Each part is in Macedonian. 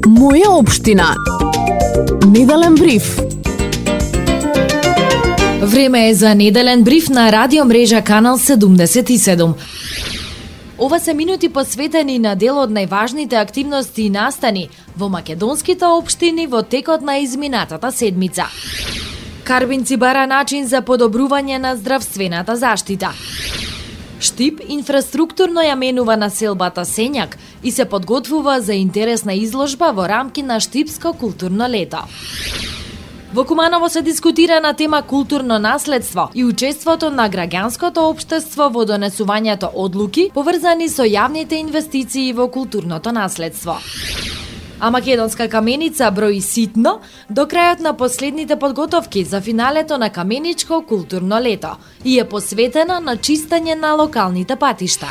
Моја општина. Неделен бриф. Време е за неделен бриф на радио мрежа Канал 77. Ова се минути посветени на дел од најважните активности и настани во македонските општини во текот на изминатата седмица. Карбинци бара начин за подобрување на здравствената заштита. Штип инфраструктурно ја менува населбата Сењак и се подготвува за интересна изложба во рамки на Штипско културно лето. Во Куманово се дискутира на тема културно наследство и учеството на граѓанското општество во донесувањето одлуки поврзани со јавните инвестиции во културното наследство. А македонска каменица брои ситно до крајот на последните подготовки за финалето на Каменичко културно лето и е посветена на чистење на локалните патишта.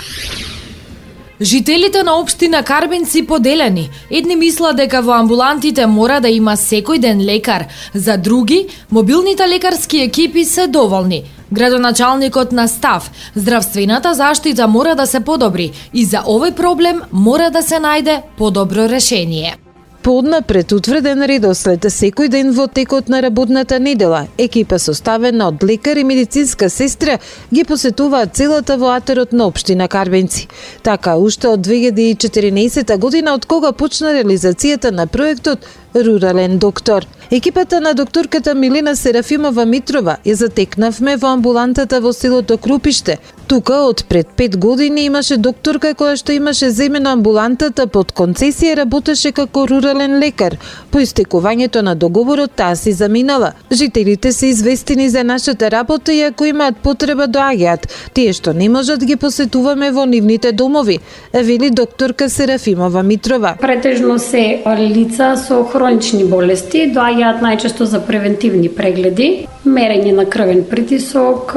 Жителите на општина Карбинци поделени. Едни мислат дека во амбулантите мора да има секој ден лекар, за други мобилните лекарски екипи се доволни. Градоначалникот на став, здравствената заштита мора да се подобри и за овој проблем мора да се најде подобро решение. Пооднапред утврден редослед секој ден во текот на работната недела, екипа составена од лекар и медицинска сестра ги посетуваат целата во атерот на општина Карбинци. Така, уште од 2014 година, од кога почна реализацијата на проектот Рурален доктор. Екипата на докторката Милена Серафимова Митрова ја затекнавме во амбулантата во селото Крупиште. Тука од пред 5 години имаше докторка која што имаше земено амбулантата под концесија, работеше како рурален лекар. По истекувањето на договорот таа си заминала. Жителите се известени за нашата работа и ако имаат потреба доаѓаат. Тие што не можат ги посетуваме во нивните домови, вели докторка Серафимова Митрова. Претежно се лица со хронични болести, доаѓаат најчесто за превентивни прегледи, мерење на крвен притисок,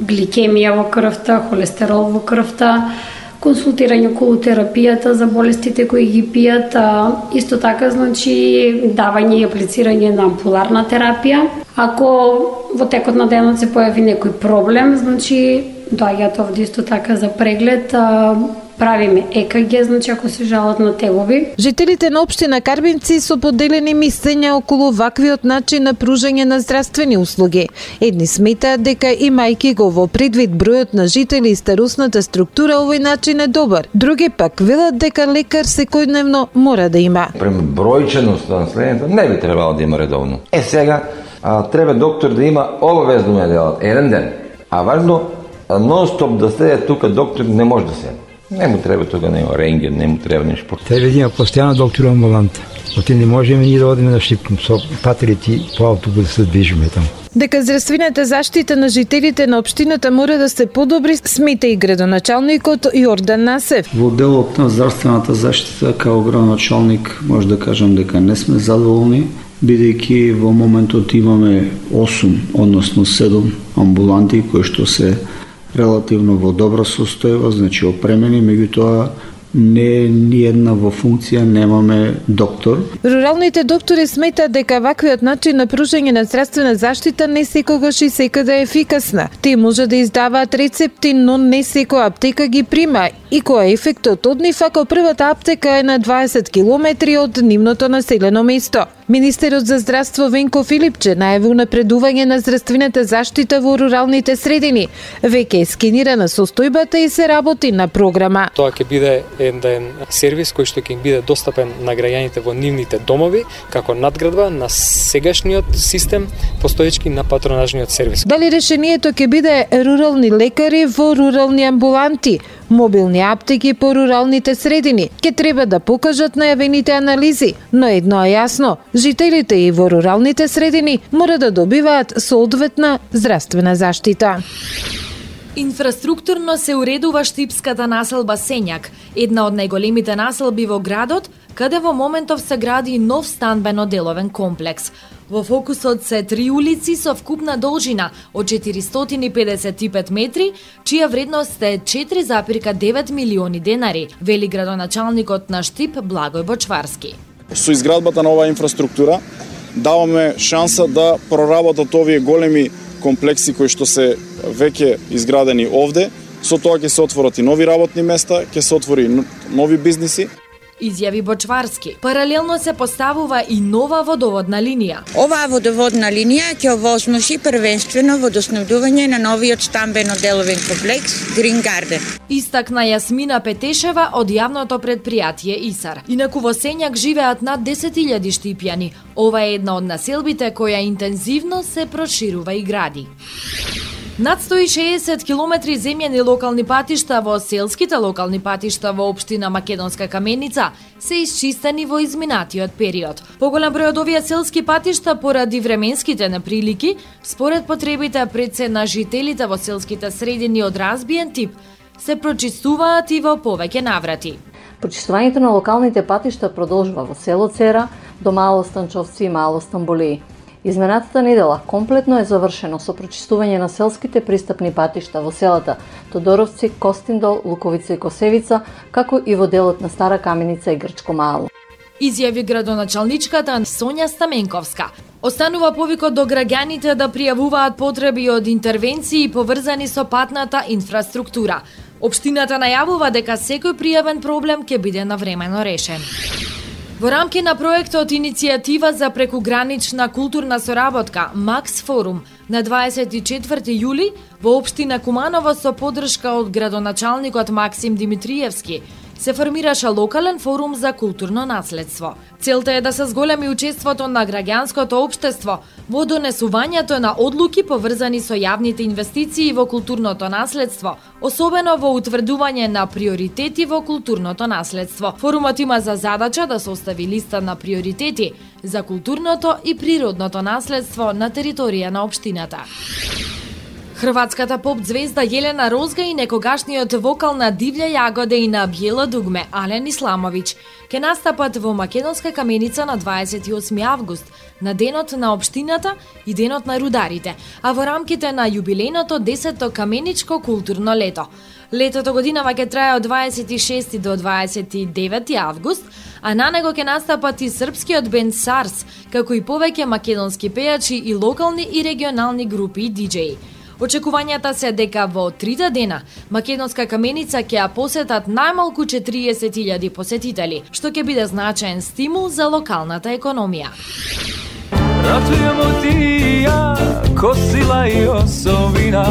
гликемија во крвта, холестерол во крвта, консултирање околу терапијата за болестите кои ги пијат, исто така давање и аплицирање на ампуларна терапија. Ако во текот на денот се појави некој проблем, доаѓаат овде исто така за преглед, правиме ЕКГ, ако се жалат на тегови. Жителите на општина Карбинци со поделени мислења околу ваквиот начин на пружање на здравствени услуги. Едни сметаат дека имајќи го во предвид бројот на жители и старосната структура, овој начин е добар. Други пак велат дека лекар секојдневно мора да има. Према бројченост на населението не би требало да има редовно. Сега треба доктор да има обавезно да делат еден ден, а важно нон-стоп да следе тука доктор не може да се. Не му треба тога нема рентген, не му треба нешто. Треба да има постојано доктор амбулант. Оти не можеме ни да одиме на Штип со патерите по автобус да се движиме таму. Дека здравствената заштита на жителите на општината мора да се подобри, смета и градоначалникот Јордан Насев. Во делот на здравствената заштита као градоначалник може да кажам дека не сме задоволни, бидејќи во моментот имаме 8, односно 7 амбуланти кои што се релативно во добра состојба, опремени, меѓутоа не ни една во функција, немаме доктор. Руралните доктори сметаат дека ваквиот начин на пружање на здравствена заштита не секогаш и секаде е ефикасна. Тие може да издаваат рецепти, но не секоја аптека ги прима и кој е ефектот од нив ако првата аптека е на 20 километри од нивното населено место. Министерот за здравство Венко Филипче најави унапредување на здравствената заштита во руралните средини. Веќе е скенирана состојбата и се работи на програма. Тоа ќе биде еден сервис кој што ќе биде достапен на граѓаните во нивните домови како надградба на сегашниот систем постоечки на патронажниот сервис. Дали решението ќе биде рурални лекари во рурални амбуланти, мобилни аптеки по руралните средини, ќе треба да покажат најавените анализи, но едно е јасно, жителите и во руралните средини мора да добиваат соодветна здравствена заштита. Инфраструктурно се уредува штипската населба Сењак, една од најголемите населби во градот, каде во моментов се гради нов станбено-деловен комплекс. Во фокусот се 3 улици со вкупна должина од 455 метри, чија вредност е 4,9 милиони денари, вели градоначалникот на Штип Благој Бочварски. Со изградбата на оваа инфраструктура даваме шанса да проработат овие големи комплекси кои што се веќе изградени овде. Со тоа ќе се отворат и нови работни места, ќе се отвори нови бизниси. изјави Бочварски. Паралелно се поставува и нова водоводна линија. Оваа водоводна линија ќе овозможи првенствено водоснабдување на новиот стамбено-деловен комплекс Green Garden. Истакна Јасмина Петешева од јавното предпријатие ИСАР. Инаку во Сењак живеат над 10.000 штипјани. Ова е една од населбите која интензивно се проширува и гради. Над 160 километри земјани локални патишта во селските локални патишта во општина Македонска Каменица се исчистени во изминатиот период. Поголем број од овие селски патишта поради временските неприлики, според потребите пред се на жителите во селските средини од разбиен тип, се прочистуваат и во повеќе наврати. Прочистувањето на локалните патишта продолжува во село Цера до Мало Станчовци и Мало Стамбулии. Изминатата недела комплетно е завршено со прочистување на селските пристапни патишта во селата Тодоровци, Костиндол, Луковица и Косевица, како и во делот на Стара Каменица и Грчко Мало. Изјави градоначалничката Сонја Стаменковска. Останува повикот до граѓаните да пријавуваат потреби од интервенции поврзани со патната инфраструктура. Општината најавува дека секој пријавен проблем ќе биде навремено решен. Во рамки на проектот Иницијатива за прекугранична културна соработка Макс Форум на 24 јули во општина Куманово со поддршка од градоначалникот Максим Димитриевски се формираше локален форум за културно наследство. Целта е да се зголеми учеството на граѓанското општество во донесувањето на одлуки поврзани со јавните инвестиции во културното наследство, особено во утврдување на приоритети во културното наследство. Форумот има за задача да состави листа на приоритети за културното и природното наследство на територија на општината. Хрватската поп звезда Јелена Розга и некогашниот вокал на Дивља јагода и на Биело дугме Ален Исламовиќ ќе настапат во Македонска Каменица на 28 август, на денот на општината и денот на рударите, а во рамките на јубилејното 10-то каменичко културно лето. Летото годинава ќе трае од 26 до 29 август, а на него ќе настапат и српскиот бенд Сарс, како и повеќе македонски пејачи и локални и регионални групи и диџеи. Очекувањата се дека во 3 дена Македонска Каменица ќе ја посетат најмалку 40.000 посетители, што ќе биде значаен стимул за локалната економија. Ратujemo ti i ja, ko sila i osovina,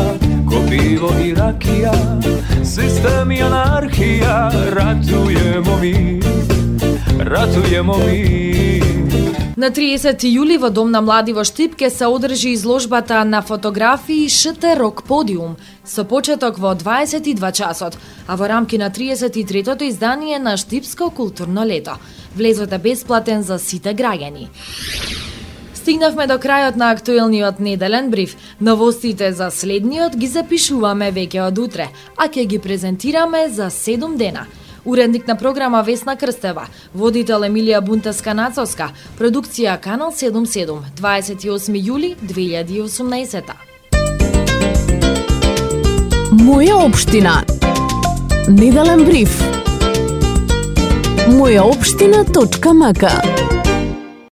ko pivo i rakija, sistem i anarhija, ratujemo mi. На 30 јули во Дом на млади во Штип ќе се одржи изложбата на фотографии ШТ Рок Подиум со почеток во 22 часот, а во рамки на 33-тото издание на Штипско културно лето. Влезот е бесплатен за сите граѓани. Стигнавме до крајот на актуелниот неделен бриф. Новостите за следниот ги запишуваме веќе од утре, а ќе ги презентираме за 7 дена. Уредник на програма Весна Крстева, водител Емилија Бунтеска-Нацовска, продукција Канал 77, 28 јули 2018. Моја општина. Неделен бриф. Мојаопштина.мк